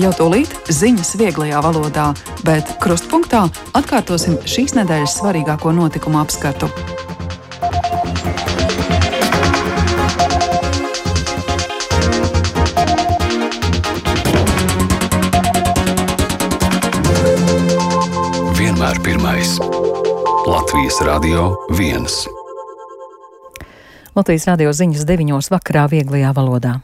Jau tūlīt ziņas vieglajā valodā, bet krustpunktā atkārtosim šīs nedēļas svarīgāko notikumu apskatu. Vienmēr pirmais. Latvijas Radio 1. Latvijas radio ziņas 9 vakarā vieglajā valodā.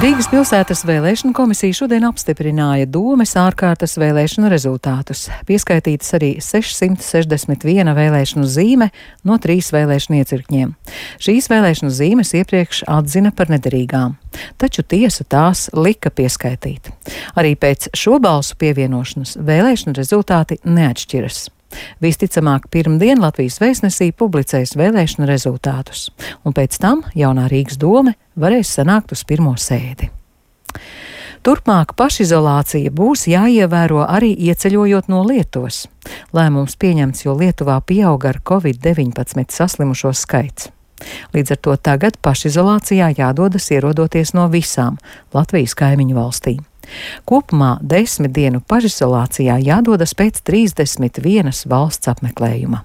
Rīgas pilsētas vēlēšanu komisija šodien apstiprināja Domes ārkārtas vēlēšanu rezultātus. Pieskaitītas arī 661 vēlēšanu zīme no 3 vēlēšanu iecirkņiem. Šīs vēlēšanu zīmes iepriekš atzina par nederīgām, taču tiesa tās lika pieskaitīt. Arī pēc šo balsu pievienošanas vēlēšanu rezultāti neatšķiras. Visticamāk, pirmdien Latvijas vēstnesī publicēs vēlēšanu rezultātus, un pēc tam jaunā Rīgas dome varēs sanākt uz pirmo sēdi. Turpmāk pašizolācija būs jāievēro arī ieceļojot no Lietuvas. Lēmums pieņemts, jo Lietuvā pieauga ar Covid-19 saslimušo skaits. Līdz ar to tagad pašizolācijā jādodas ierodoties no visām Latvijas kaimiņu valstīm. Kopumā 10 dienu pašizolācijā jādodas pēc 31 valsts apmeklējuma.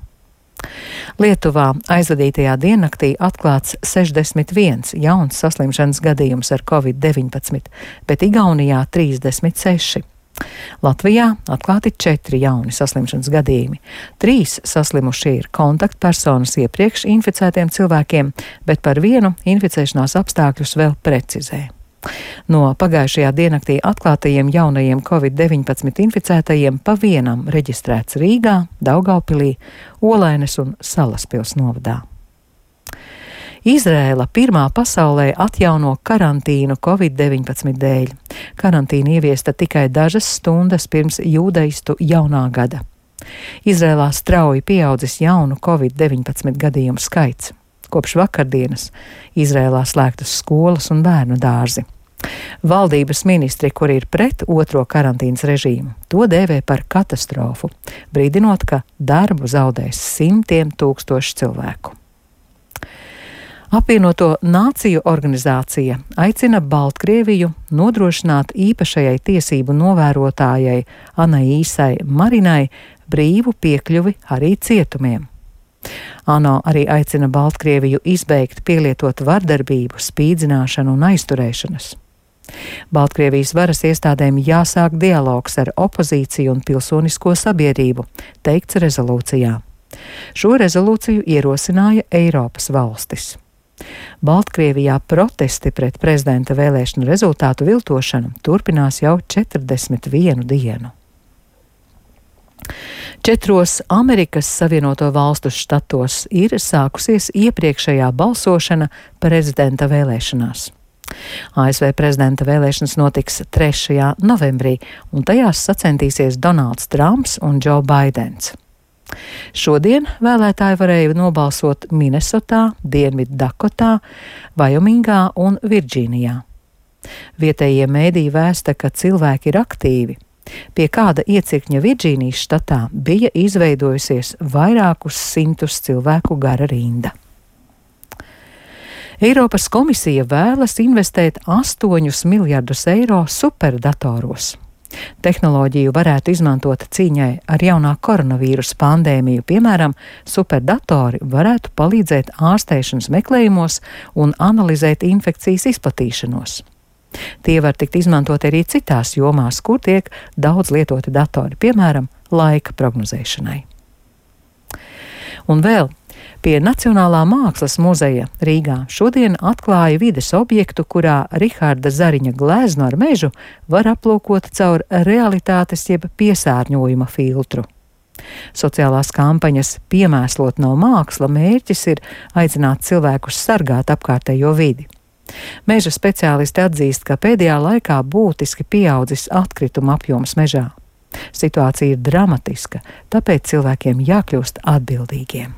Lietuvā aizvadītajā diennaktī atklāts 61 jauns saslimšanas gadījums ar Covid-19, bet Igaunijā 36. Latvijā atklāti 4 jauni saslimšanas gadījumi. 3 saslimušie ir kontaktpersonas iepriekš inficētiem cilvēkiem, bet par vienu inficēšanās apstākļus vēl precizē. No pagājušajā diennaktī atklātajiem jaunajiem Covid-19 inficētajiem pa vienam reģistrēts Rīgā, Daugavpilī, Olaines un Salaspils novadā. Izrēla pirmā pasaulē atjauno karantīnu Covid-19 dēļ. Karantīna ieviesta tikai dažas stundas pirms jūdaistu jaunā gada. Izrēlā strauji pieaudzis jaunu Covid-19 gadījumu skaits. Kopš vakardienas Izrēlā slēgtas skolas un bērnu dārzi. Valdības ministri, kuri ir pret otro karantīnas režīmu, to dēvē par katastrofu, brīdinot, ka darbu zaudēs simtiem tūkstoši cilvēku. Apvienoto Nāciju organizācija aicina Baltkrieviju nodrošināt īpašajai tiesību novērotājai Anaīsai Marinai brīvu piekļuvi arī cietumiem. ANO arī aicina Baltkrieviju izbeigt pielietot vardarbību, spīdzināšanu un aizturēšanas. Baltkrievijas varas iestādēm jāsāk dialogs ar opozīciju un pilsonisko sabiedrību, teikts rezolūcijā. Šo rezolūciju ierosināja Eiropas valstis. Baltkrievijā protesti pret prezidenta vēlēšanu rezultātu viltošanu turpinās jau 41 dienu. 4 Amerikas Savienoto Valstu štatos ir sākusies iepriekšējā balsošana prezidenta vēlēšanās. ASV prezidenta vēlēšanas notiks 3. novembrī, un tajās sacensties Donalds Trumps un Džo Baidens. Šodien vēlētāji varēja nobalsot Minesotā, Dienviddakotā, Vajomingā un Virdžīnijā. Vietējie mēdīji vēsta, ka cilvēki ir aktīvi. Pie kāda iecirkņa Virdžīnijas štatā bija izveidojusies vairākus simtus cilvēku gara rinda. Eiropas komisija vēlas investēt 8 miljardus eiro superdatoros. Tehnoloģiju varētu izmantot cīņai ar jaunā koronavīrusa pandēmiju. Piemēram, superdatori varētu palīdzēt ārstēšanas meklējumos un analizēt infekcijas izplatīšanos. Tie var tikt izmantot arī citās jomās, kur tiek daudz lietoti datori, piemēram, laika prognozēšanai. Un vēl pie Nacionālā mākslas muzeja Rīgā šodien atklāja vides objektu, kurā Riharda Zariņa gleznu ar mežu var aplūkot caur realitātes jeb piesārņojuma filtru. Sociālās kampaņas Piemēslot nav māksla mērķis ir aicināt cilvēkus sargāt apkārtējo vidi. Meža speciālisti atzīst, ka pēdējā laikā būtiski pieaudzis atkrituma apjoms mežā. Situācija ir dramatiska, tāpēc cilvēkiem jākļūst atbildīgiem.